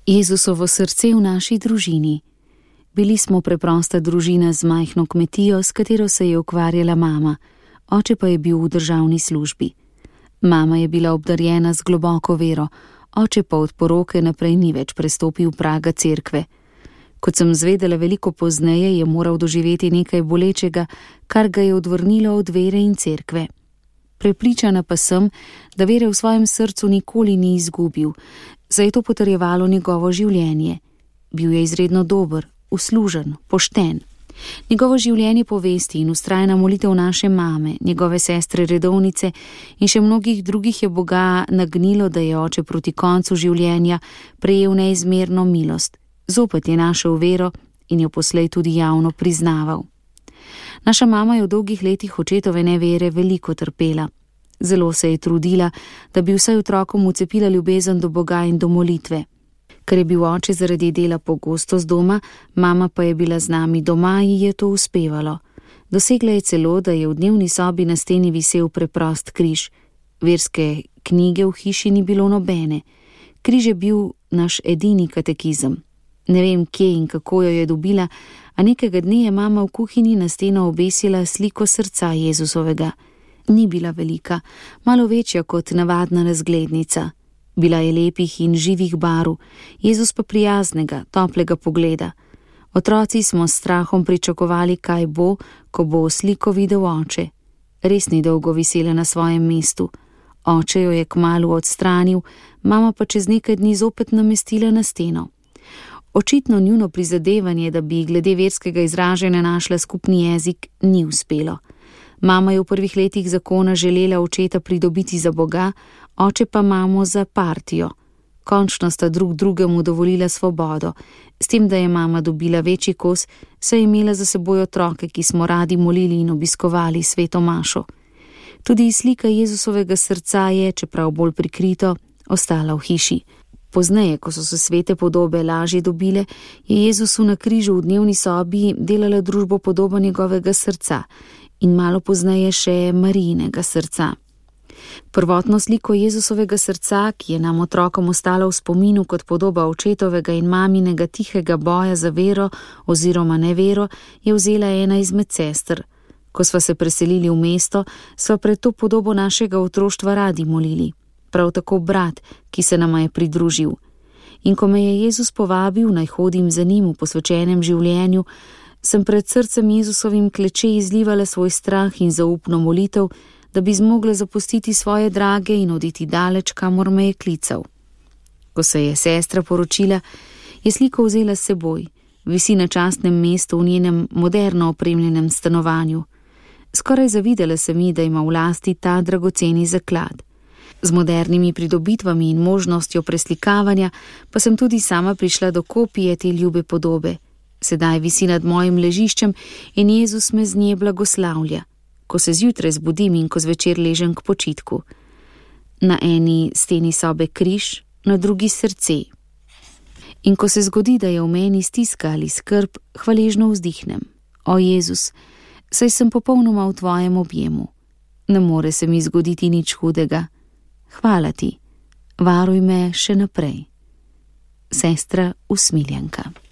Jezusovo srce v naši družini. Bili smo preprosta družina z majhno kmetijo, s katero se je ukvarjala mama, oče pa je bil v državni službi. Mama je bila obdarjena z globoko vero, oče pa od poroke naprej ni več prestopil praga cerkve. Kot sem zvedela veliko pozneje, je moral doživeti nekaj bolečega, kar ga je odvrnilo od vere in cerkve. Prepričana pa sem, da vere v svojem srcu nikoli ni izgubil, saj je to potrjevalo njegovo življenje. Bil je izredno dober, uslužen, pošten. Njegovo življenje povesti in vztrajna molitev naše mame, njegove sestre redovnice in še mnogih drugih je Boga nagnilo, da je oče proti koncu življenja prejel neizmerno milost. Zopet je našel vero in jo poslej tudi javno priznaval. Naša mama je v dolgih letih očetove nevere veliko trpela. Zelo se je trudila, da bi vsaj otrokom vcepila ljubezen do Boga in do molitve. Ker je bil oče zaradi dela pogosto z doma, mama pa je bila z nami doma, ji je to uspevalo. Dosegla je celo, da je v dnevni sobi na steni visel preprost križ. Verske knjige v hiši ni bilo nobene. Križ je bil naš edini katekizem. Ne vem, kje in kako jo je dobila, a nekega dne je mama v kuhinji na steno obesila sliko srca Jezusovega. Ni bila velika, malo večja kot navadna razglednica. Bila je lepih in živih barv, Jezus pa prijaznega, toplega pogleda. Otroci smo s strahom pričakovali, kaj bo, ko bo sliko videl oče. Res ni dolgo visela na svojem mestu. Oče jo je kmalu odstranil, mama pa čez nekaj dni zopet namestila na steno. Očitno njuno prizadevanje, da bi glede verskega izražanja našla skupni jezik, ni uspelo. Mama je v prvih letih zakona želela očeta pridobiti za Boga, oče pa mamo za partijo. Končno sta drug drugemu dovolila svobodo, s tem, da je mama dobila večji kos, saj je imela za seboj otroke, ki smo radi molili in obiskovali sveto mašo. Tudi slika Jezusovega srca je, čeprav bolj prikrito, ostala v hiši. Pozneje, ko so se svete podobe lažje dobile, je Jezusu na križu v dnevni sobi delala družbo podoba njegovega srca in malo pozneje še Marijinega srca. Prvotno sliko Jezusovega srca, ki je nam otrokom ostala v spominu kot podoba očetovega in maminega tihega boja za vero oziroma nevero, je vzela ena izmed sester. Ko sva se preselili v mesto, sva pred to podobo našega otroštva radi molili. Prav tako brat, ki se nama je pridružil. In ko me je Jezus povabil, naj hodim za njim v posvečenem življenju, sem pred srcem Jezusovim kleče izlivala svoj strah in zaupno molitev, da bi zmogla zapustiti svoje drage in oditi daleč, kamor me je klical. Ko se je sestra poročila, je sliko vzela s seboj, visi na častnem mestu v njenem moderno opremljenem stanovanju. Skoraj zavidela se mi, da ima v lasti ta dragoceni zaklad. Z modernimi pridobitvami in možnostjo preslikavanja pa sem tudi sama prišla do kopije te ljube podobe. Sedaj visi nad mojim ležiščem in Jezus me z nje blagoslavlja, ko se zjutraj zbudim in ko zvečer ležem k počitku. Na eni steni sobe križ, na drugi srce. In ko se zgodi, da je v meni stiska ali skrb, hvaležno vzdihnem. O Jezus, saj sem popolnoma v tvojem objemu. Ne more se mi zgoditi nič hudega. Hvala ti, varuj me še naprej. Sestra Usmiljenka.